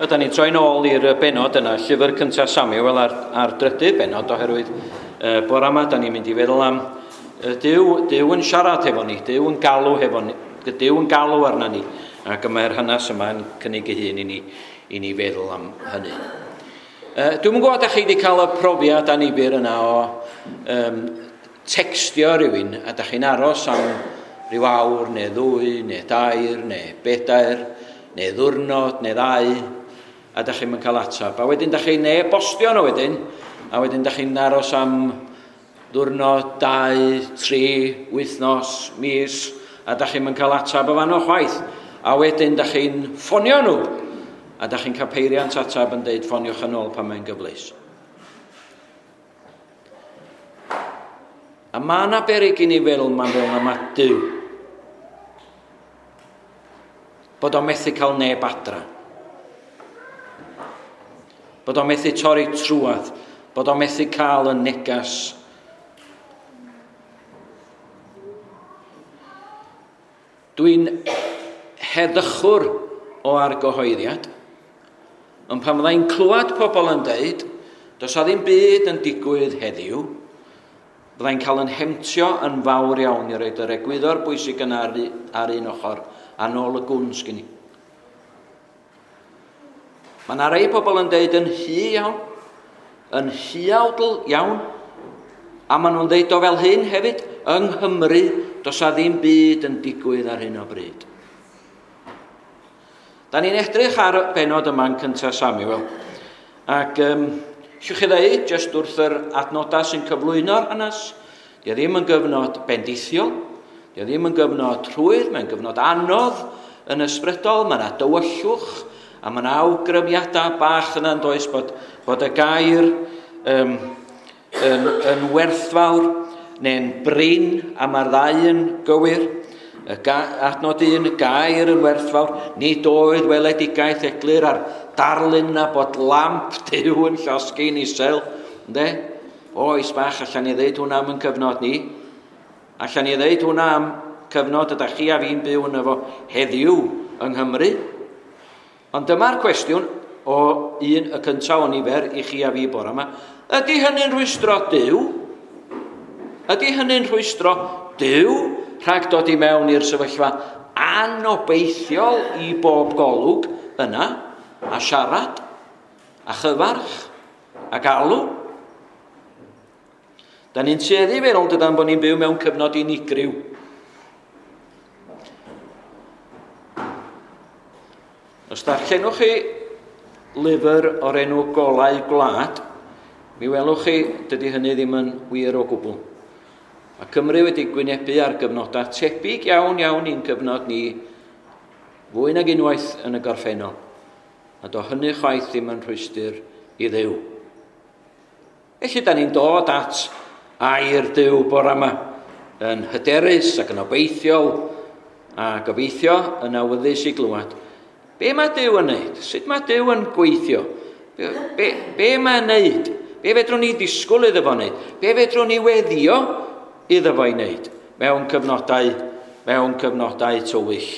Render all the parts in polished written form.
Ydan ni'n troi'n ôl i'r benod yna, llyfr cyntaf Samuel a'r, a'r drydydd benod, oherwydd bore yma, da ni'n mynd i feddwl am Duw, Duw yn siarad hefo ni, Duw yn galw hefo ni, Duw yn galw arna ni, ac y mae'r hanes yma yn cynnig ei hun i ni, i ni feddwl am hynny. Dwi'm yn gwybod ydych chi wedi cael y profiad anifyr yna o um, textio rhywun a da chi'n aros am rhyw awr neu ddwy neu dair neu bedair neu ddwrnod neu ddau a da chi'n cael ateb. A wedyn da chi'n e-bostio nhw wedyn, a wedyn da chi'n aros am ddwrnod, 2, 3, wythnos, mis, a da chi'n cael ateb o fanno chwaith. A wedyn da chi'n ffonio nhw, a da chi'n cael peiriant ateb yn deud ffoniwch yn ôl pan mae'n gyfleus. A mae yna beryg i ni feddwl mae'n fel na mae Duw. Bod o'n methu cael neb adra. Bod o'n methu torri trwadd. Bod o'n methu cael y negas. Dwi'n heddychwr o argyhoeddiad. Ond pan fyddai'n clywed pobl yn deud, does a ddim byd yn digwydd heddiw, fyddai'n cael yn hemtio yn fawr iawn i roed yr egwyddor bwysig yna ar, ar un ochr a nôl y gwn sgyn i. Mae yna rei pobl yn deud yn hy iawn, yn hyawdl iawn, a maen nhw'n deud o fel hyn hefyd, yng Nghymru, does a ddim byd yn digwydd ar hyn o bryd. Da ni'n edrych ar y benod yma yn cyntaf Samuel, ac Allwch chi ddeud, jyst wrth yr adnodau sy'n cyflwyno'r hanes, di o ddim yn gyfnod bendithiol, di o ddim yn gyfnod rhwydd, mae'n gyfnod anodd yn ysbrydol, mae yna dywyllwch, a mae yna awgrymiadau bach yna yn does bod, bod y gair um, yn, yn werthfawr neu'n brin, a mae'r ddau yn gywir. Y adnod un, y gair yn werthfawr, nid oedd weledigaeth eglur ar darlun na bod lamp Duw yn llosgi'n isel. Ynde? Oes bach, allan ni ddeud hwnna am yn cyfnod ni. Allan ni ddeud hwnna am cyfnod ydych chi a fi'n byw yn efo heddiw yng Nghymru. Ond dyma'r cwestiwn o un y cyntaf o nifer i chi a fi bore yma. Ydy hynny'n rhwystro Duw? Ydy hynny'n rhwystro Duw rhag dod i mewn i'r sefyllfa anobeithiol i bob golwg yna, a siarad, a chyfarch, a galw? Da ni'n tueddu feddwl dydan bod ni'n byw mewn cyfnod unigryw. Os darllenwch chi lyfr o'r enw Golau Gwlad, mi welwch chi dydy hynny ddim yn wir o gwbl. Mae Cymru wedi gwynebu ar gyfnodau tebyg iawn iawn i'n cyfnod ni fwy nag unwaith yn y gorffennol. A do hynny chwaith ddim yn rhwystr i Dduw. Felly, da ni'n dod at air Duw bore yma yn hyderus ac yn obeithiol a gobeithio yn awyddus i glywed. Be mae Duw yn neud? Sut mae Duw yn gweithio? Be, be, be mae'n neud? Be fedrwn ni ddisgwyl iddo fo wneud? Be fedrwn ni weddio iddo fo i wneud mewn cyfnodau, mewn cyfnodau tywyll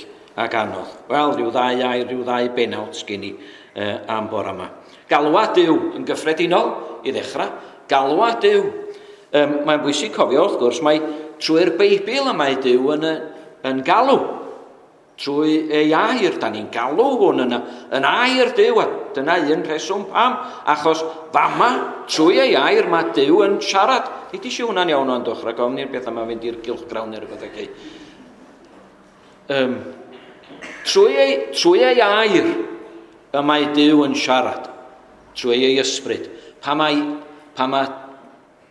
ac anodd? Wel, rhyw ddau air, rhyw ddau benawd sgyn i am bore yma. Galwad Duw yn gyffredinol i ddechrau. Galwad Duw. Mae'n bwysig cofio, wrth gwrs, mae trwy'r Beibl y mae Duw yn, yn galw. Trwy ei air, da ni'n galw hwn yn, yn air Duw, a dyna un rheswm pam, achos fama, trwy ei air, mae Duw yn siarad. Nid eisiau hwnna'n iawn o'n doch, rhag ofn i'r beth yma fynd i'r gylchgrawn neu rhywbeth felly. Um, trwy, ei, trwy ei air, y mae Duw yn siarad, trwy ei ysbryd. Pa mae, pa mae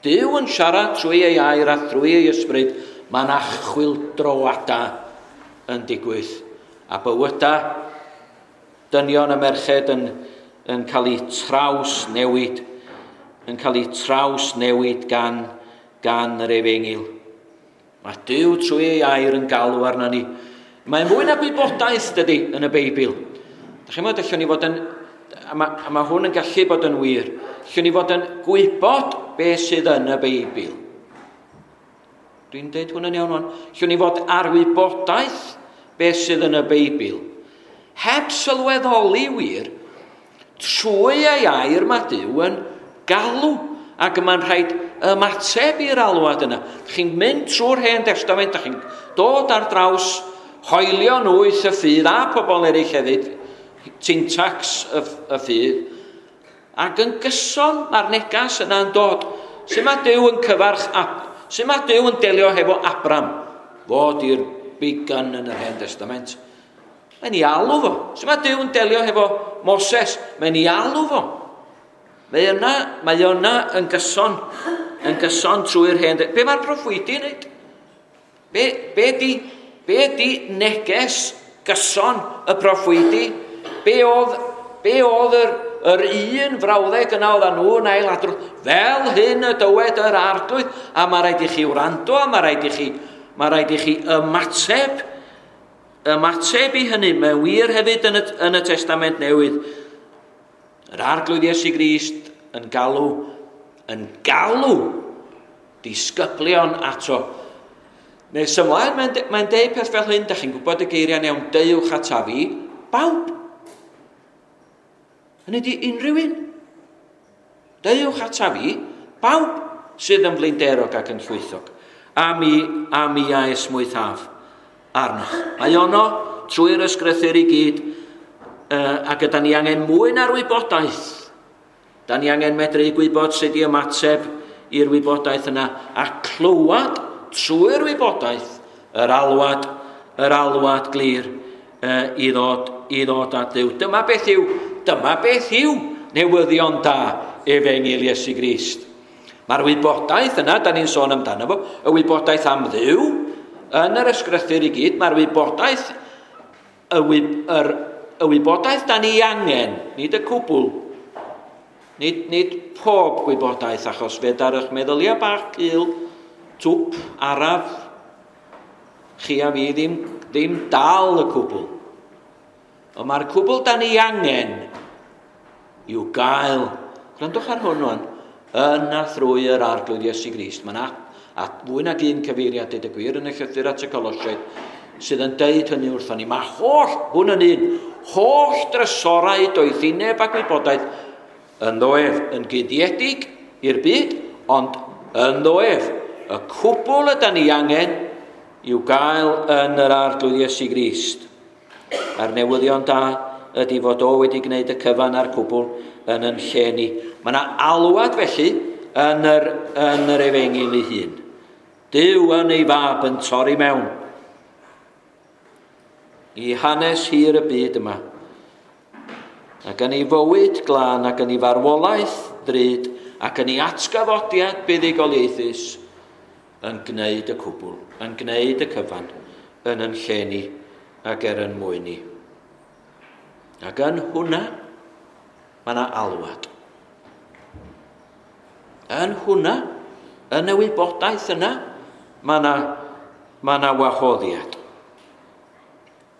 Duw yn siarad trwy ei air a thrwy ei ysbryd, mae yna chwyldroadau yn digwydd. A bywydau dynion a merched yn, yn cael eu traws newid, yn cael eu traws newid gan, gan yr efengyl. Mae Duw trwy ei air yn galw arna ni. Mae'n fwy na gwybodaeth, dydy, yn y Beibl. Da chi'n meddwl, allwn ni fod yn, a mae, a mae hwn yn gallu bod yn wir, allwn ni fod yn gwybod beth sydd yn y Beibl. Dwi'n deud hwn yn iawn o'n. Allwn ni fod ar wybodaeth beth sydd yn y Beibl. Heb sylweddoli wir Trwy ei air mae Duw yn galw, ac mae'n rhaid ymateb i'r alwad yna. Chi'n mynd trwy'r Hen Testament, chi'n dod ar draws hoelion wyth y ffydd a pobl eraill hefyd, syntax y, y ffydd, ac yn gyson mae'r negas yna'n dod. Sut mae Duw yn cyfarch, sut mae Duw yn delio hefo Abram? Fod i'r big gun yn yr Hen Testament. Mae'n ei alw fo. Sut mae Duw yn delio hefo Moses? Mae'n ei alw fo. Mae yna, mae yna yn gyson, yn gyson trwy'r hen. Be mae'r proffwydi yn neud? Be, be, di, be di neges gyson y proffwydi? Be oedd, be oedd yr, yr un frawddeg yna oedd nhw yn ailadrodd? Fel hyn y dywed yr arglwydd, a mae rhaid i chi wrando, a mae rhaid i chi, mae rhaid i chi ymateb, ymateb i hynny. Mae'n wir hefyd yn y, yn y Testament Newydd. Yr arglwydd Iesu Grist yn galw, yn galw disgyblion ato. Nes ymlaen, mae'n de, mae deud peth fel hyn, da chi'n gwybod y geiriau'n iawn, deuwch ata fi, bawb. Hynny di unrhyw un. Deuwch ata fi, bawb sydd yn flinderog ac yn llwythog. A mi, a mi a esmwythaf arnoch. Mae ono trwy'r ysgrythyr i gyd, uh, a gyda ni angen mwy na'r wybodaeth. Da ni angen medru gwybod sut i ymateb i'r wybodaeth yna a clywed trwy'r wybodaeth yr alwad, yr alwad glir uh, i, ddod, i ddod at Dduw. Dyma beth yw, dyma beth yw newyddion da efengyl Iesu Grist. Mae'r wybodaeth yna, da ni'n sôn amdano fo, y wybodaeth am Dduw, yn yr ysgrythyr i gyd, mae'r wybodaeth, y, yr, y wybodaeth da ni angen, nid y cwbl, nid, nid pob gwybodaeth, achos fe dar eich meddyliau bach cul, twp, araf, chi a fi ddim, ddim dal y cwbl. Ond mae'r cwbl da ni angen i'w gael, gwrandwch ar hwn rwan, yn a thrwy yr arglwydd Iesu Grist. Mae'n a fwy nag un cyfeiriad, dweud y gwir, yn y llythyr at y Colosiaid, sydd yn deud hynny wrthon ni. Mae holl, hwn yn un, holl drysorau doethineb a gwybodaeth yn ddoef, yn guddiedig i'r byd, ond yn ddoef, y cwbl yda ni angen i'w gael yn yr arglwydd Iesu Grist. A'r newyddion da ydy fod o wedi gwneud y cyfan a'r cwbl yn yn lle ni. Mae yna alwad felly yn yr, yn yr efengyl ei hun. Duw yn ei fab yn torri mewn i hanes hir y byd yma. Ac yn ei fywyd glân ac yn ei farwolaeth ddrud ac yn ei atgyfodiad buddugoliaethus yn gwneud y cwbl, yn gwneud y cyfan yn yn lle ni ac er yn mwyn ni. Ac yn hwnna, mae yna alwad. Yn hwnna, yn y wybodaeth yna, mae yna, mae yna wahoddiad.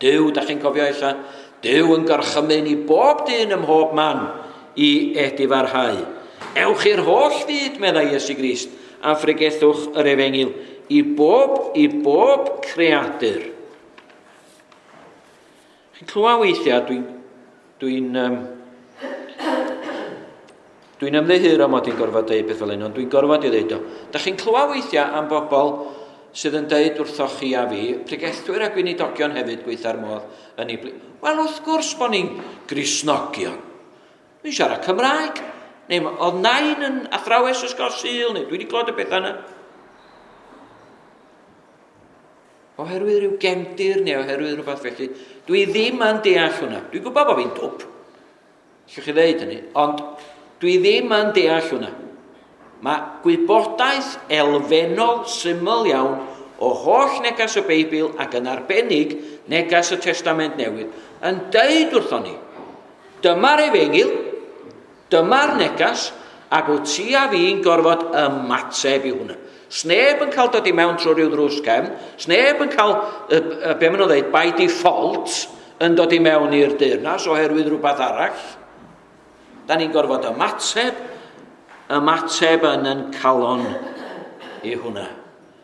Duw, da chi'n cofio ella, Duw yn gorchymyn i bob dyn ym mhob man i edifarhau. Ewch i'r holl fyd, meddai Iesu Grist, a phregethwch yr efengyl i bob, i bob creadur. Chi'n clywed weithiau, dwi'n dwi um, Dwi'n ymddiheuro mod i'n gorfod deud beth fel hyn, ond dwi'n gorfod i ddeud o. Da chi'n clywed weithiau am bobl sydd yn deud wrthoch chi a fi, pregethwyr a gweinidogion hefyd gweitha'r modd yn ei bli. Wel, wrth gwrs bod ni'n Gristnogion. Dwi'n siarad Cymraeg. Neu oedd nain yn athrawes ysgol Sul, neu dwi wedi clywed y pethau yna. Oherwydd rhyw gefndir neu oherwydd rhywbeth felly. Dwi ddim yn deall hwnna. Dwi'n gwybod bod fi'n dwp. Allwch chi ddeud hynny, ond dwi ddim yn deall hwnna. Mae gwybodaeth elfennol syml iawn o holl negas y Beibl ac yn arbennig negas y Testament Newydd yn deud wrthon ni, dyma'r efengyl, dyma'r negas, ac wyt ti a fi'n gorfod ymateb i hwnna. Sneb yn cael dod i mewn trwy rhyw ddrws cefn, sneb yn cael, be maen nhw'n dweud, by default, yn dod i mewn i'r deyrnas oherwydd rhywbeth arall. Da ni'n gorfod ymateb, ymateb yn yn calon i hwnna.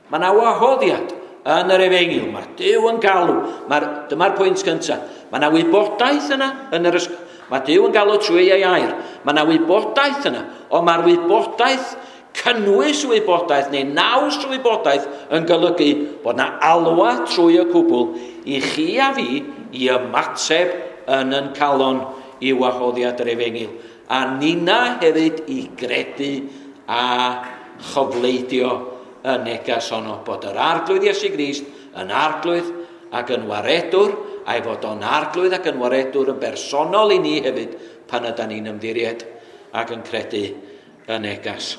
Mae yna wahoddiad yn yr efengyl. Mae Duw yn galw. Mae'r, dyma'r pwynt cyntaf. Mae yna wybodaeth yna yn yr ysg... Mae Duw yn galw trwy ei air. Mae yna wybodaeth yna, ond mae'r wybodaeth, cynnwys wybodaeth neu naws wybodaeth yn golygu bod yna alwa trwy y cwbl i chi a fi i ymateb yn yn calon i wahoddiad yr efengyl. A nina hefyd i gredu a chofleidio y neges honno bod yr Arglwydd Iesu Grist yn Arglwydd ac yn waredwr, a'i fod o'n Arglwydd ac yn waredwr yn bersonol i ni hefyd pan ydan ni'n ymddiried ac yn credu y neges.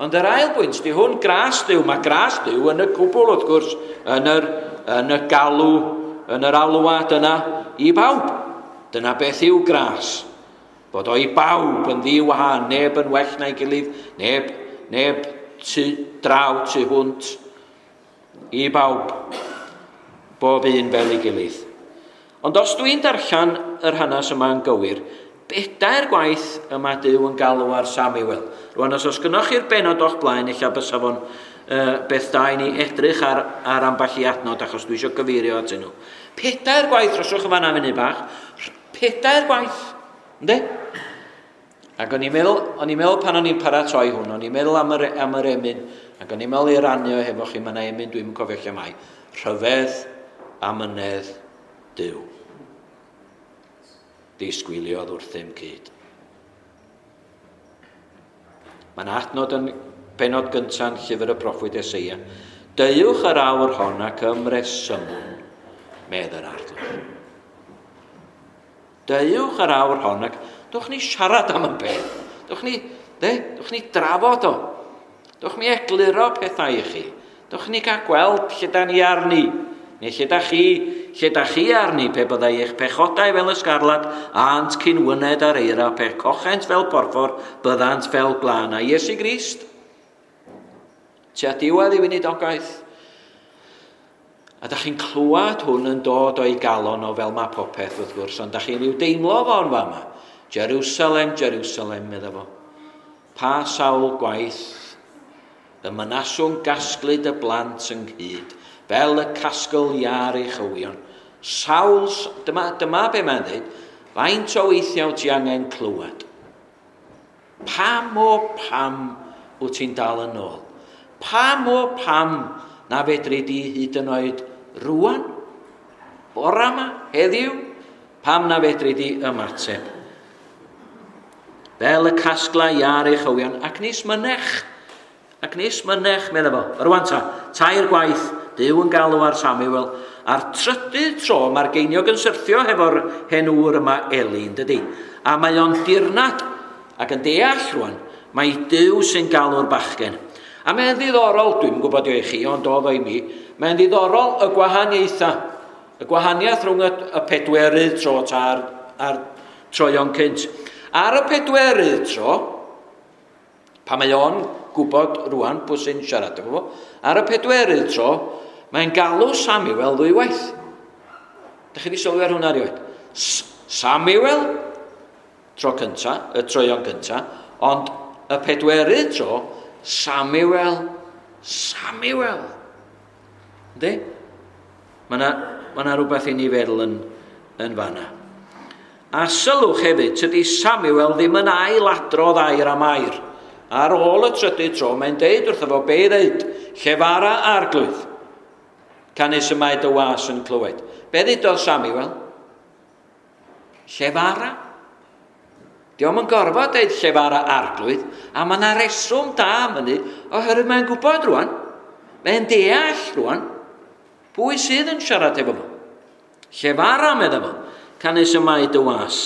Ond yr ail bwynt, di hwn gras Duw. Mae gras Duw yn y cwbl wrth gwrs, yn yr, yn y galw, yn yr alwad yna i bawb. Dyna beth yw gras. Bod o i bawb yn ddiwahan, neb yn well na'i gilydd, neb, neb tu draw tu hwnt, i bawb, bob un fel ei gilydd. Ond os dwi'n darllen yr hanes yma yn gywir, bedair gwaith y mae Duw yn galw ar Samuel. Rwan, os oes gynnoch chi'r benod o'ch blaen, ella bysa fo'n beth da i ni edrych ar, ar ambell i adnod, achos dwi eisiau gyfeirio atyn nhw. Pedair gwaith, rhoswch yn fanna munud bach, pedair gwaith, ynddi? Ac o'n i'n meddwl, o'n i'n meddwl pan o'n i'n paratoi hwn, o'n i'n meddwl am yr, am yr emyn, ac o'n i'n meddwl i rannu o hefo chi, mae yna emyn dwi'n cofio lle mae. Rhyfedd amynedd Duw. Disgwyliodd wrthym cyd. Mae'n adnod yn benod gyntaf yn llyfr y proffwyd Eseia. Deuwch yr awr hon ac ymresymwn, medd yr Arglwydd. Deuwch yr awr hon ac dwch ni siarad am y peth. Dwch ni, de, dwch ni drafod o. Dwch ni egluro pethau i chi. Dwch ni gael gweld lle da ni arni. Neu lle da chi, lle da chi arni, pe byddai eich pechodau fel ysgarlad, ant cyn wyned ar eira, pe cochent fel porffor, byddant fel glân. A Iesu Grist, tua diwedd i weinidogaeth. A da chi'n clywed hwn yn dod o'i galon o fel mae popeth wrth gwrs, ond da chi'n rhyw deimlo fo'n fama. Jerusalem, Jerusalem, medda fo. Pa sawl gwaith y mynaswn gasglu dy blant ynghyd, fel y casgl iâr ei chywion. Sawl, dyma, dyma be mae'n dweud, faint o weithiau ti angen clywed? Pam o pam wyt ti'n dal yn ôl? Pam o pam na fedri di hyd yn oed rwan? Bora yma, heddiw? Pam na fedri di ymateb? Fel y casgla iâr ei chywion, ac nis mynech. Ac nis mynech, medda fo. Rwan ta, tair gwaith, Duw yn galw ar Samuel. A'r trydydd tro, mae'r geiniog yn syrthio hefo'r hen ŵr yma Eli, yn dydi? A mae o'n dirnad ac yn deall rwan, mae Duw sy'n galw'r bachgen. A mae'n ddiddorol, dwi'n gwybod i chi, ond oedd o i mi, mae'n ddiddorol y gwahaniaethau. Y gwahaniaeth rhwng y, y pedwerydd tro a'r, a'r troion cynt. Ar y pedwerydd tro, pan mae o'n gwybod rwan pwy sy'n siarad efo fo, ar y pedwerydd tro, mae'n galw Samuel ddwywaith. Dych chi wedi sylwi ar hwnna erioed? Samuel, tro cynta, y troion cynta, ond y pedwerydd tro, Samuel, Samuel. Yndi? Mae yna ma 'na rhywbeth i ni feddwl yn, yn fanna. A sylwch hefyd, tydi Samuel ddim yn ailadrodd air am air. Ar ôl y trydydd tro, mae'n deud wrtho fo be i ddeud, llefara Arglwydd, canys y mae dy was yn clywed. Be ddudodd Samuel? Llefara. Dio'm yn gorfod deud llefara Arglwydd, a mae yna reswm da am hynny, oherwydd mae'n gwybod rwan, mae'n deall rwan, pwy sydd yn siarad efo fo. Llefara, medda fo, canys y mae dy was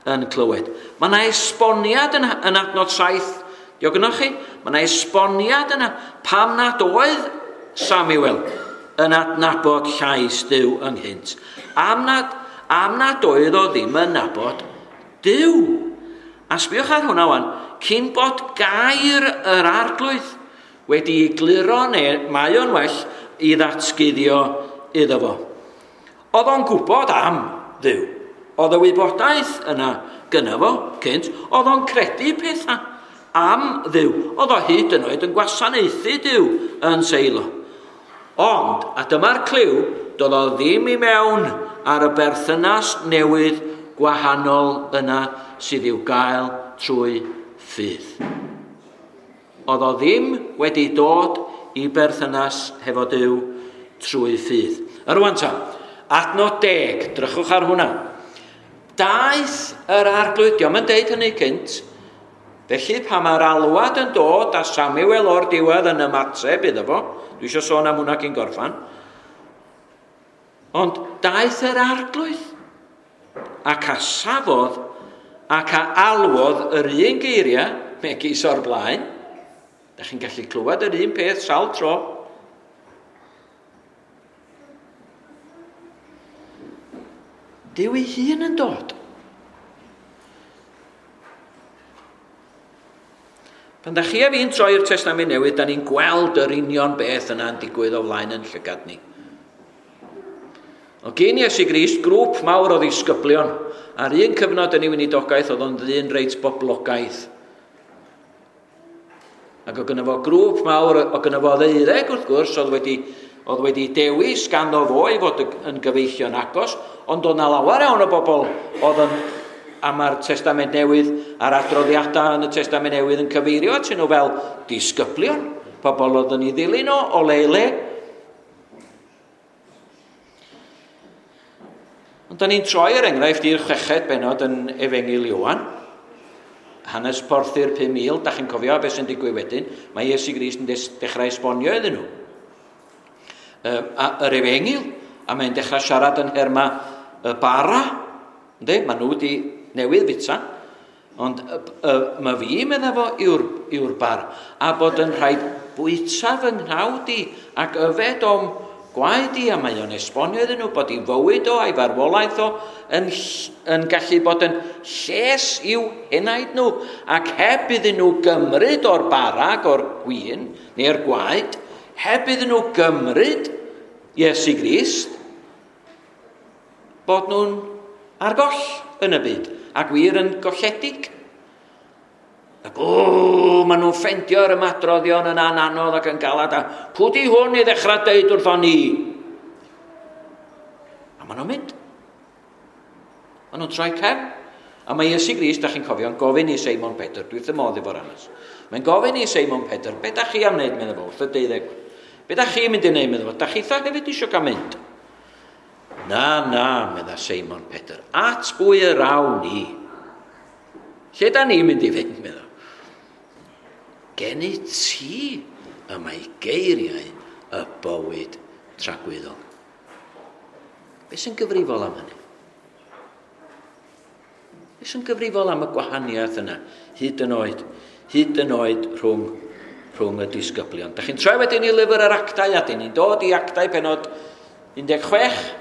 yn clywed. Mae yna esboniad yn, yn adnod 7, dio gynnoch chi? Mae yna esboniad yna pam nad oedd Samuel yn adnabod llais Duw ynghynt. Am nad, am nad oedd o ddim yn nabod Duw. A sbiwch ar hwnna wan, cyn bod gair yr Arglwydd wedi egluro neu mae o'n well i ddatguddio iddo fo. Oedd o'n gwybod am Dduw. Oedd y wybodaeth yna gynna fo cynt. Oedd o'n credu pethau am Dduw. Oedd o hyd yn oed yn gwasanaethu Duw yn Seilo. Ond, a dyma'r cliw, doedd o ddim i mewn ar y berthynas newydd gwahanol yna sydd i'w gael trwy ffydd. Oedd o ddim wedi dod i berthynas hefo Duw trwy ffydd. A rwan ta, adnod 10, drychwch ar hwnna. Daeth yr arglwydd, diolch yn deud hynny cynt, felly pan mae'r alwad yn dod a Samuel o'r diwedd yn ymateb iddo fo, dwi eisiau sôn am hwnna cyn gorffan, ond daeth yr arglwydd ac a safodd ac a alwodd yr un geiriau megis o'r blaen. Da chi'n gallu clywed yr un peth sawl tro. Duw ei hun yn dod. Pan da chi a fi'n troi i'r Testament Newydd, da ni'n gweld yr union beth yna'n digwydd o flaen yn llygad ni. O gyn Iesu Grist, grŵp mawr o ddisgyblion, ar un cyfnod yn ei weinidogaeth oedd o'n ddyn reit boblogaidd. Ac oedd gynno fo grŵp mawr, oedd gynno fo ddeuddeg wrth gwrs, oedd wedi dewis ganddo fo i fod yn gyfeillion agos, ond oedd na lawer iawn o bobl oedd yn, a mae'r Testament Newydd a'r adroddiadau yn y Testament Newydd yn cyfeirio atyn nhw fel disgyblion, pobl oedd yn ei ddilyn o, o le i le. Ond da ni'n troi er enghraifft i'r chweched bennod yn Efengyl Ioan, hanes porthu'r 5,000, da chi'n cofio beth sy'n digwydd wedyn, mae Iesu Grist yn dechrau esbonio iddyn nhw. Yr Efengyl, a mae'n dechrau siarad yn nherma y bara, ynddi? Maen nhw wedi newydd fita, ond mae fi, medda fo, yw'r bar, a bod yn rhaid bwyta fy nghnawd i ac yfed o'm gwaed i, a mae o'n esbonio iddyn nhw bod ei fywyd o a'i farwolaeth o yn gallu bod yn lles i'w henaid nhw, ac heb iddyn nhw gymryd o'r bara ac o'r gwin neu'r gwaed, heb iddyn nhw gymryd Iesu Grist, bod nhw'n ar goll yn y byd, ac wir yn golledig. Ac o, maen nhw'n ffendio'r ymadroddion yn anodd ac yn galad, a pwy di hwn i ddechrau deud wrthon ni? A maen nhw'n mynd. Maen nhw'n troi cefn. A mae Iesu Grist, da chi'n cofio, yn gofyn i Seimon Pedr, dwi wrth y modd efo'r hanes. Mae'n gofyn i Seimon Pedr, be da chi am wneud, meddwl fo, wrth y deuddeg. Be da chi'n mynd i wneud, meddwl fo, da chitha hefyd eisiau cael mynd? Na, na, medda Seimon Pedr, at bwy yr awn ni? Lle da ni'n mynd i fynd, meddwl? Gen i ti y mae geiriau y bywyd tragwyddol. Be sy'n gyfrifol am hynny? Be sy'n gyfrifol am y gwahaniaeth yna, hyd yn oed rhwng y disgyblion? Da chi'n troi wedyn i lyfr yr Actau, a dyn ni'n dod i Actau penod 16.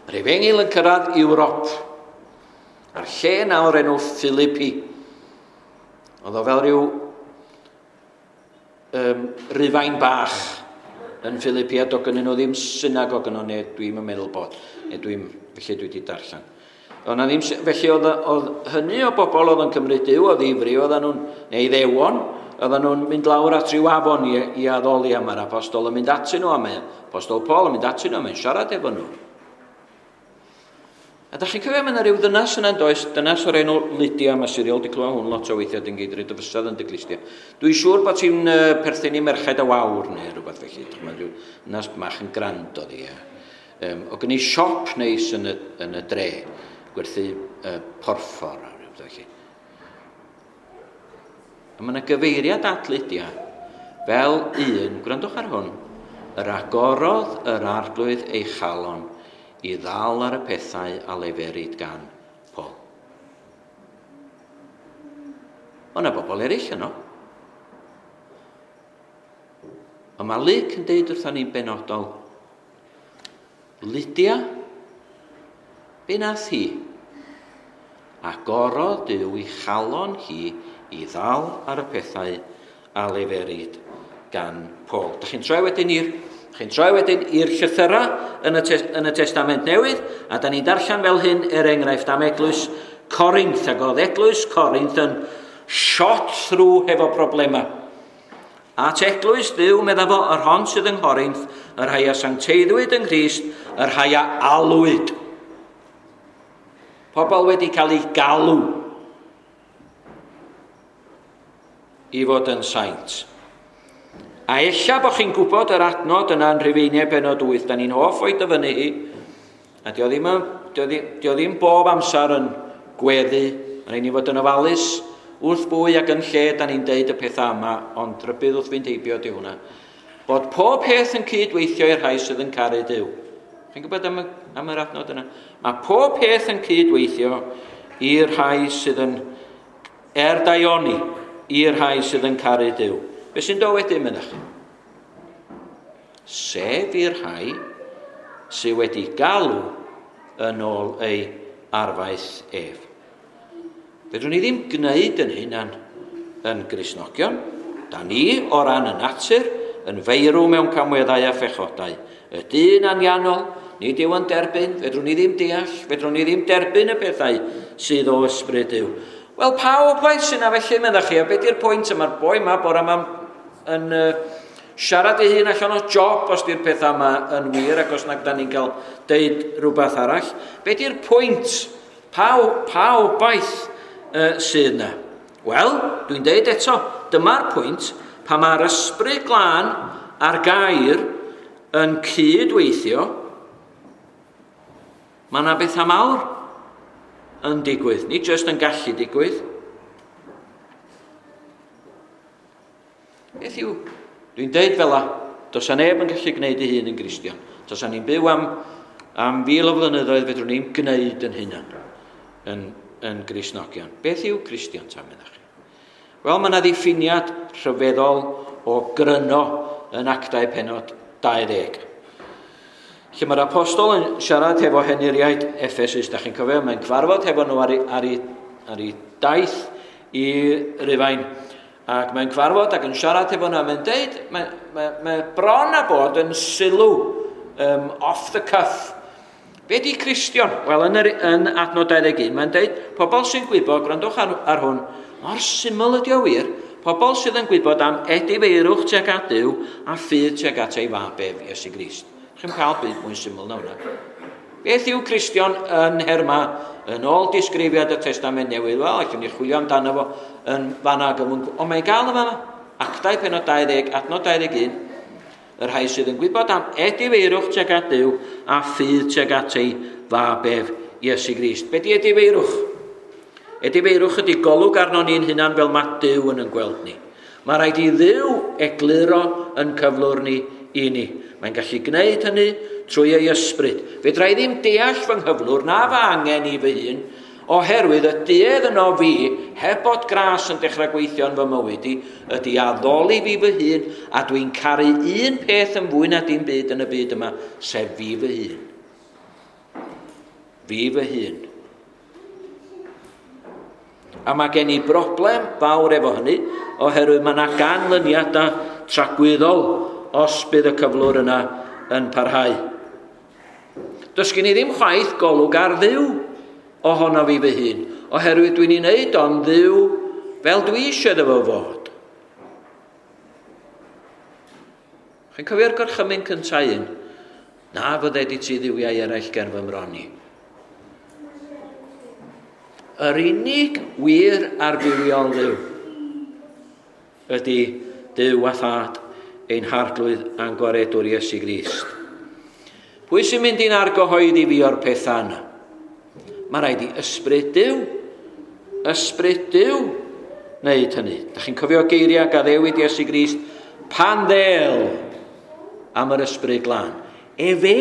Yr Efengyl yn cyrraedd Ewrop, a'r lle nawr enw Philippi. Oedd o fel rhyw Rufain bach yn Philippi, a doedd gynnyn nhw ddim synagog yno, neu dwi'm yn meddwl bod, neu dwi'n, felly dwi wedi darllen. Oedd na ddim, felly oedd hynny o bobl oedd yn cymryd Duw o ddifri, oedden nhw'n, neu ddewon, oedden nhw'n mynd lawr at ryw afon i addoli, a mae'r apostol yn mynd atyn nhw, a mae apostol Paul yn mynd atyn nhw, a mae'n siarad efo nhw. A da chi'n cofio, mae yna rhyw ddynas yna'n does, dynas o'r enw Lydia, mae Siriol wedi clywed hwn lot o weithiau, dyn geidryd y fysedd yn dy glustia. Dwi'n siŵr bod ti'n perthyn i Merched y Wawr neu rhywbeth felly, mae rhyw ddynas bach yn grand oedd hi. O gen i siop neis yn y dre, gwerthu porffor a rhywbeth felly. A mae yna gyfeiriad at Lydia fel un, gwrandwch ar hwn, yr agorodd yr arglwydd ei chalon i ddal ar y pethau a leferid gan Paul. O na bobl eraill yno. Ond mae Luc yn deud wrthon ni'n benodol, Lydia, be nath hi? Agorodd Duw i chalon hi i ddal ar y pethau a leferid gan Paul. Da chi'n troi wedyn i'r llythyrau yn y Testament Newydd, a da ni'n darllen fel hyn er enghraifft am eglwys Corinth, ac oedd eglwys Corinth yn shot through hefo problemau. At eglwys Dduw, medda fo, yr hon sydd yng Nghorinth, yr rhai a sancteiddwyd yng Nghrist, yr rhai a alwyd. Pobl wedi cael eu galw i fod yn saint. A ella bod chi'n gwybod yr adnod yna yn Rhufeiniau penod 8, da ni'n hoff o'i dyfynnu hi, a dio ddim, dio, dio ddim bob amser yn gweddu, mae'n rhaid ni fod yn ofalus wrth bwy ac yn lle da ni'n deud y pethau yma, ond rhybudd wrth fynd heibio di hwnna. Bod pob peth yn cydweithio i'r rhai sydd yn caru Duw. Chi'n gwybod am, y, am yr adnod yna? Mae pob peth yn cydweithio i'r rhai sydd yn er daioni, i'r rhai sydd yn caru Duw. Be sy'n dod wedyn, mynnach? Sef i'r rhai sydd wedi galw yn ôl ei arfaeth ef. Fedrwn ni ddim gwneud yn hunan yn Gristnogion. Da ni, o ran y natur, yn feirw mewn camweddau a phechodau. Y dyn anianol, nid yw yn derbyn, fedrwn ni ddim deall, fedrwn ni ddim derbyn y pethau sydd o ysbryd Duw. Wel, pa obaith sy'n na felly, meddach chi, a beth yw'r pwynt yma'r boi yma bore yma yn siarad ei hun allan o job os di'r pethau yma yn wir ac os nag da ni'n cael deud rhywbeth arall. Be di'r pwynt? Pa, pa obaith sydd yna? Wel, dwi'n deud eto, dyma'r pwynt pa mae'r ysbryd glân a'r gair yn cydweithio, mae yna bethau mawr yn digwydd, nid jyst yn gallu digwydd. Beth yw? Dwi'n deud fel la, does a neb yn gallu gwneud ei hun yn Gristion. Does a ni'n byw am, am fil o flynyddoedd, fedrwn ni'n gwneud yn hunan yn, yn Gristnogion. Beth yw Cristion ta, meddach chi? Wel, mae yna ddiffiniad rhyfeddol o gryno yn Actau penod 20. Lle mae'r apostol yn siarad hefo henuriaid Ephesus, da chi'n cofio, mae'n cyfarfod hefo nhw ar ei, ar ei, ar ei daith i Rufain. Ac mae'n cyfarfod ac yn siarad hefo nhw, a mae'n deud, mae, mae, mae bron a bod yn sylw um, off the cuff. Be di Cristion? Wel, yn, yr, yn adnod 21, mae'n deud, pobl sy'n gwybod, gwrandwch ar, ar hwn, mor syml ydi o wir, pobl sydd yn gwybod am edifeirwch tuag at Duw a ffydd tuag at ei fab ef, Iesu Grist. Chi'n cael byd mwy syml na hwnna. Beth yw Cristion yn herma yn ôl disgrifiad y Testament Newydd? Wel, allwn ni chwilio amdano fo yn fanna ac yn Ond mae'n gael yn fanna. Actau penod 20, adnod 21. Y rhai sydd yn gwybod am edifeirwch tuag at Duw a ffydd tuag at ei fab ef, Iesu Grist. Be di edifeirwch? Edifeirwch ydy golwg arno ni'n hunan fel mae Duw yn yn gweld ni. Mae rhaid i Dduw egluro yn cyflwr ni i ni. Mae'n gallu gwneud hynny trwy ei ysbryd. Fedra i ddim deall fy nghyflwr na fy angen i fy hun, oherwydd y duedd yno fi, heb bod gras yn dechrau gweithio yn fy mywyd i, ydy addoli fi fy hun, a dwi'n caru un peth yn fwy na dim byd yn y byd yma, sef fi fy hun. Fi fy hun. A mae gen i broblem fawr efo hynny, oherwydd mae yna ganlyniadau tragwyddol os bydd y cyflwr yna yn parhau. Does gen i ddim chwaith golwg ar Dduw ohono fi fy hun, oherwydd dwi'n ei wneud o'n Dduw fel dwi eisiau iddo fo fod. Chi'n cofio'r gorchymyn cyntaf un? Na fydded i ti dduwiau eraill ger fy mron i. Yr unig wir a'r bywiol Dduw ydy Duw a Thad ein harglwydd a'n gwaredwr Iesu Grist. Pwy sy'n mynd i'n argyhoeddi fi o'r pethau yna? Mae rhaid i ysbryd Duw, ysbryd Duw, wneud hynny. Da chi'n cofio geiriau gaddewid Iesu Grist pan ddel am yr ysbryd glân. Efe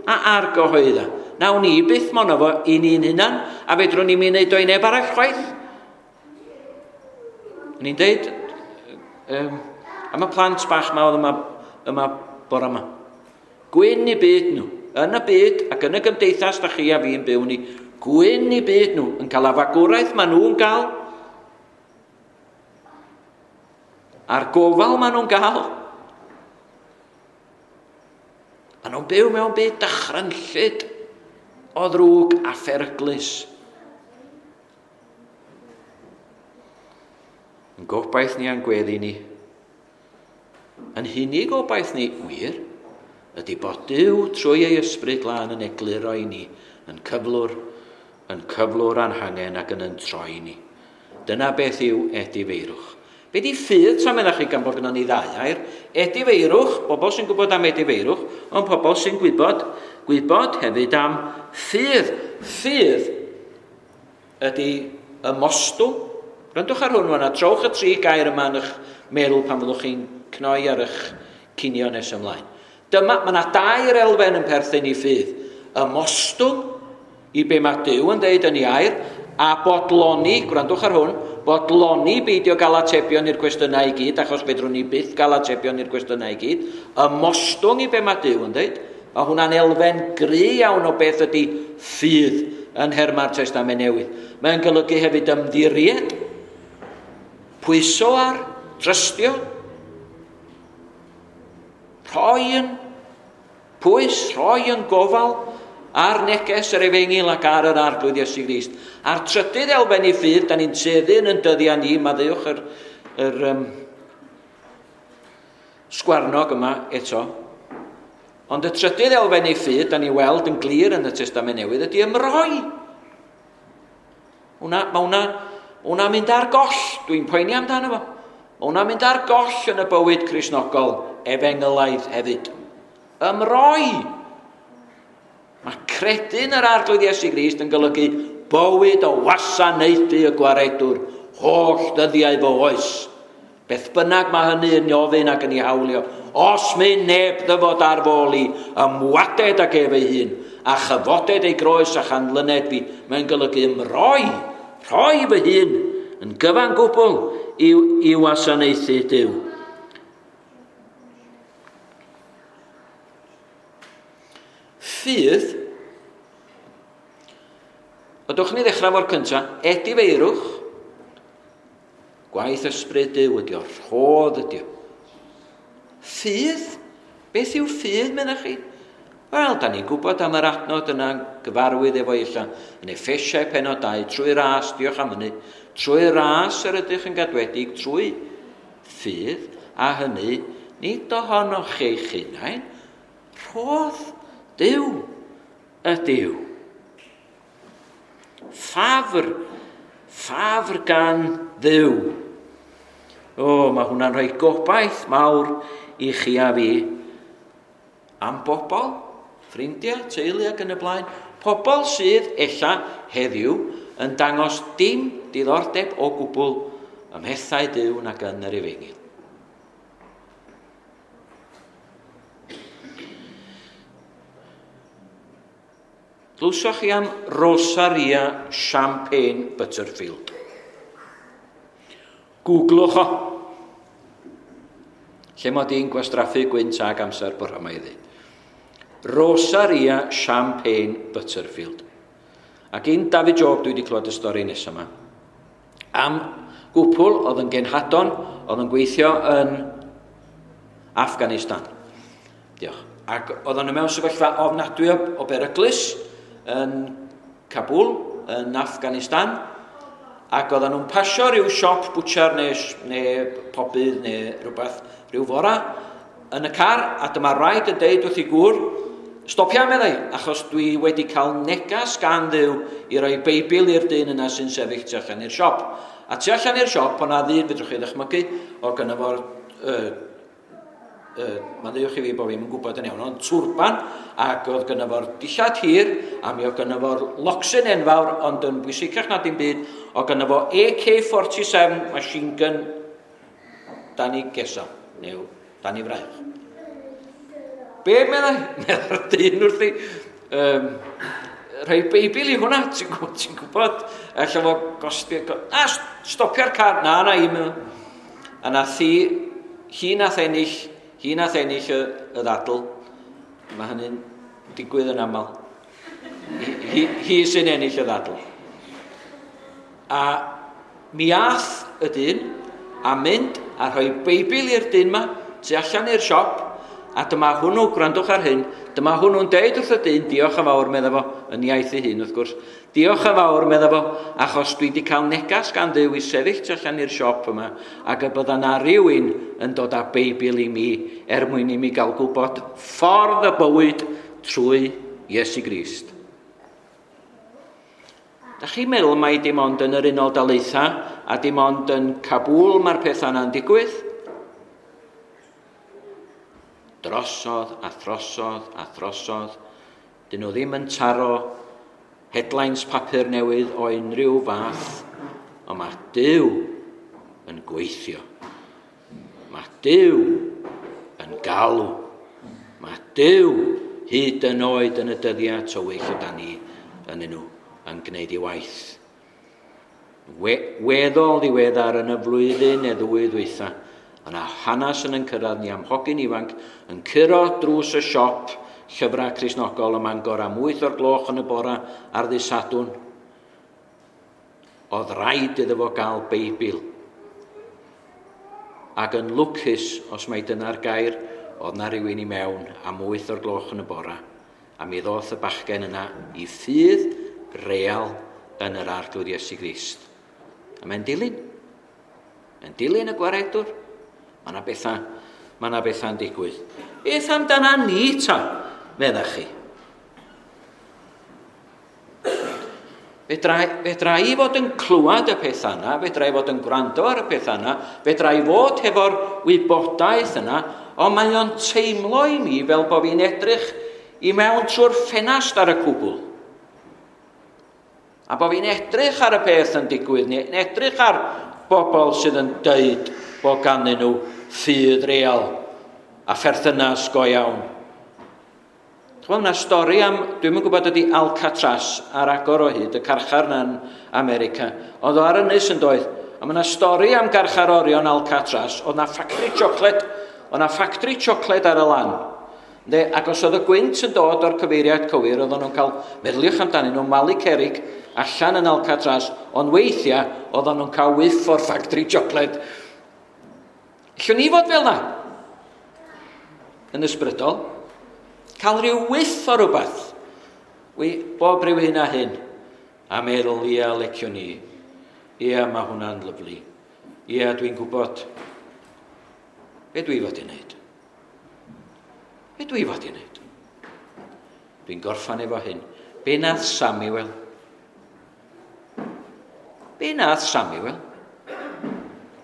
a argyhoedda. Nawn ni byth mono fo i ni'n hunan, a fedrwn ni'n mynd o i neb arall chwaith. Ni'n deud, um, am y plant bach ma oedd yma, yma bore yma. Gwyn i byd nhw, yn y byd ac yn y gymdeithas da chi a fi'n byw ni, gwyn i byd nhw, yn cael afagwraeth maen nhw'n gael, a'r gofal maen nhw'n gael. Maen nhw'n byw mewn byd dychrynllyd o ddrwg a pheryglus. Yn gobaith ni a'n gweddi ni, yn hunig obaith ni, wir, ydy bod Duw trwy ei ysbryd glân yn egluro i ni, yn cyflwr yn cyflwr a'n hangen ac yn yn troi ni. Dyna beth yw edifeirwch. Be di ffydd tra meddach chi gan bod gynnon ni ddau air? Edifeirwch, bobl sy'n gwybod am edifeirwch, ond pobl sy'n gwybod, gwybod hefyd am ffydd. Ffydd ydy ymostwng. Gwrandwch ar hwn wan, a trowch y tri gair yma yn eich meddwl pan fyddwch chi'n cnoi ar eich cinio nes ymlaen. Dyma, mae yna dair elfen yn perthyn i ffydd. Ymostwng i be mae Duw yn dweud yn ei air, a bodloni, gwrandwch ar hwn, bodloni beidio gael atebion i'r cwestiynau i gyd, achos fedrwn ni byth gael atebion i'r cwestiynau i gyd, ymostwng i be mae Duw yn dweud. Mae hwnna'n elfen gry iawn o beth ydy ffydd yn nhermau'r Testament Newydd. Mae'n golygu hefyd ymddiried, pwyso ar, trystio, rhoi yn pwys, rhoi yn gofal ar neges yr efengyl ac ar yr Arglwydd Iesu Grist. A'r trydydd elfen i ffydd, da ni'n tueddu yn yn dyddiau ni, maddeuwch yr, yr um, sgwarnog yma eto. Ond y trydydd elfen i ffydd, da ni weld yn glir yn y Testament Newydd, ydy ymroi. Hwna, mae hwnna, hwnna mynd ar goll, dwi'n poeni amdano fo. Mae hwnna'n mynd ar goll yn y bywyd Cristnogol, efengylaidd hefyd. Ymroi. Mae credu yn yr Arglwydd Iesu Grist yn golygu bywyd o wasanaethu y gwaredwr holl ddyddiau fy oes. Beth bynnag mae hynny yn ofyn ac yn ei hawlio, os mynd neb ddyfod ar fôl i, ymwaded ag ef ei hun, a chyfoded ei groes a chanlyned fi, mae'n golygu ymroi, rhoi fy hun yn gyfan gwbl i, i wasanaethu Duw. Ffydd, Ydwch ni ddechrau fo'r cyntaf, edifeirwch, gwaith ysbryd Duw ydi o, rhodd ydi o. Ffydd? Beth yw ffydd, meddach chi? Wel, da ni'n gwybod am yr adnod yna gyfarwydd efo illa yn Effesiau penod 2, trwy ras, diolch am hynny, trwy ras yr ydych yn gadwedig, trwy ffydd, a hynny, nid ohonoch chi'ch hunain, rhodd Duw ydyw. Ffafr, ffafr gan Dduw. O, mae hwnna'n rhoi gobaith mawr i chi a fi am bobl, ffrindiau, teulu ac yn y blaen. Pobl sydd ella heddiw yn dangos dim diddordeb o gwbl ym mhethau Duw nac yn yr efengyl. Glywsoch chi am Rosaria Champagne Butterfield? Googlwch o. Lle mod i'n gwastraffu gwynt ag amser bore yma i ddweud. Rosaria Champagne Butterfield. Ac un David Job dwi wedi clywed y stori nesaf yma. Am gwpl oedd yn genhadon, oedd yn gweithio yn Afghanistan. Diolch. Ac oedden nhw mewn sefyllfa ofnadwy o beryglus yn Kabul, yn Afghanistan, ac oedden nhw'n pasio rhyw siop bwtsiar neu, neu pobydd neu rhywbeth, rhyw fora, yn y car, a dyma rhaid yn deud wrth i gŵr, stopia meddai, achos dwi wedi cael negas gan Dduw i roi Beibl i'r dyn yna sy'n sefyll tu allan i'r siop. A tu allan i'r siop, o'na ddyn, fedrwch chi ddychmygu, o gynno fo'r uh, uh, maddeuwch i fi bod fi'n gwybod yn iawn, ond twrban, ac oedd gynno fo'r dillad hir, a mi oedd gynno fo'r locsyn enfawr, ond yn bwysicach na dim byd, oedd gynno fo AK-47 machine gun dan i gesa, neu dan i fraich. Be meddai? Meddai'r dyn wrthi, um, rhoi Beibl i hwnna, ti'n gwybod, ti gwybod, alla fo gostio, na, stopio'r car, na, na, i, a nath hi, hi nath ennill, hi nath ennill y, y ddadl, mae hynny'n digwydd yn aml. Hi, hi, hi sy'n ennill y ddadl. A mi ath y dyn a mynd a rhoi Beibl i'r dyn ma tu allan i'r siop, a dyma hwnnw, gwrandwch ar hyn, dyma hwnnw'n deud wrth y dyn, diolch yn fawr, medda fo, yn iaith ei hun wrth gwrs, diolch yn fawr, medda fo, achos dwi wedi cael negas gan Dduw i sefyll tu allan i'r siop yma, ac y bydda na rhywun yn dod â Beibl i mi, er mwyn i mi gael gwybod ffordd y bywyd trwy Iesu Grist. Da chi'n meddwl mai dim ond yn yr Unol Daleithiau a dim ond yn Kabul mae'r pethau yna'n digwydd? Drosodd a throsodd a throsodd. Dyn nhw ddim yn taro headlines papur newydd o unrhyw fath, ond mae Duw yn gweithio. Mae Duw yn galw. Mae Duw hyd yn oed yn y dyddiau tywyll yda ni yn nhw yn gwneud ei waith. Weddol ddiweddar yn y flwyddyn neu ddwy ddwytha, yna hanes yn cyrraedd ni am hogyn ifanc yn curo drws y siop llyfrau Cristnogol ym Mangor am 8 o'r gloch yn y bora ar ddydd Sadwrn. Oedd rhaid iddo fo gael Beibl. Ac yn lwcus, os mai dyna'r gair, oedd na rhywun i mewn am 8 o'r gloch yn y bora. A mi ddoth y bachgen yna i ffydd real yn yr Arglwydd Iesu Grist. A mae'n dilyn. Mae'n dilyn y gwaredwr. Mae yna bethau, mae yna bethau'n digwydd. Beth amdana ni ta, meddach chi? Fedra i fod yn clywed y pethau yna, fedra i fod yn gwrando ar y pethau yna, fedra i fod hefo'r wybodaeth yna, ond mae o'n teimlo i mi fel bod fi'n edrych i mewn trwy'r ffenast ar y cwbl. A bod fi'n edrych ar y peth yn digwydd, neu'n edrych ar bobl sydd yn deud bod ganddyn nhw ffydd real a pherthynas go iawn. Ch'mod, yna stori am, dwi'm yn gwybod ydy Alcatraz ar agor o hyd, y carchar yna yn America. Oedd o ar ynys yn doedd. A mae yna stori am garcharorion Alcatraz. Oedd na ffactri siocled, oedd na ffactri siocled ar y lan. Ynde? Ac os oedd y gwynt yn dod o'r cyfeiriad cywir, oedden nhw'n cael, meddyliwch amdanyn nhw, malu cerrig allan yn Alcatraz, ond weithiau oedden nhw'n cael whiff o'r ffactri siocled. Allwn ni fod fel na? Yn ysbrydol. Cael rhyw whiff o rhywbeth. Wi, bob rhyw hyn a hyn. A meddwl, ia, leciwn ni. Ia, mae hwnna'n lyfli. Ia, dwi'n gwybod. Be dwi fod i wneud? Be dwi fod i wneud? Dwi'n gorffan efo hyn. Be nath Samuel? Be nath Samuel?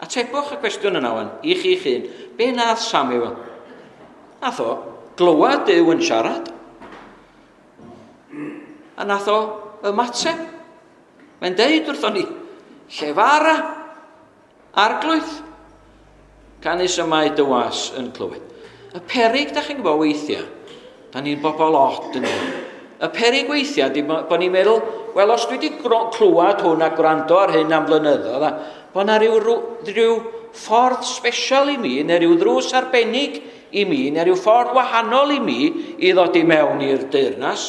Atebwch y cwestiwn yna wan, i chi'ch hun. Be nath Samuel? Nath o glywed Duw yn siarad. A nath o ymateb. Mae'n deud wrthon ni, llefara, Arglwydd, canys y mae dy was yn clywed. Y peryg, da chi'n gwybod weithiau, da ni'n bobl od yn hyn. Y peryg weithiau, di bod ni'n meddwl, wel, os dwi wedi clywed hwn a gwrando ar hyn am flynyddoedd, a bod na rhyw ffordd special i mi, neu rhyw ddrws arbennig i mi, neu rhyw ffordd wahanol i mi i ddod i mewn i'r deyrnas.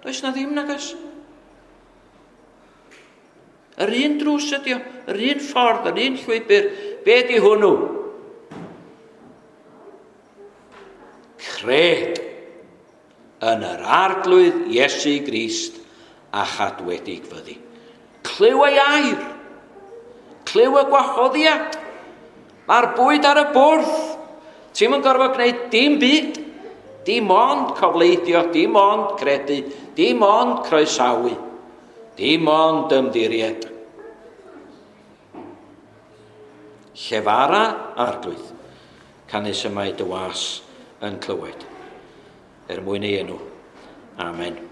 Does na ddim, nag oes? Yr un drws ydi o, yr un ffordd, yr un llwybr. Be di hwnnw? Cred yn yr Arglwydd Iesu Grist a chadwedig fyddi. Clyw ei air. Clyw y gwahoddiad. Mae'r bwyd ar y bwrdd. Ti'm yn gorfod gwneud dim byd. Dim ond cofleidio, dim ond credu, dim ond croesawu, dim ond ymddiried. Llefara, Arglwydd, canys y mae dy was yn clywed, er mwyn ei enw. Amen.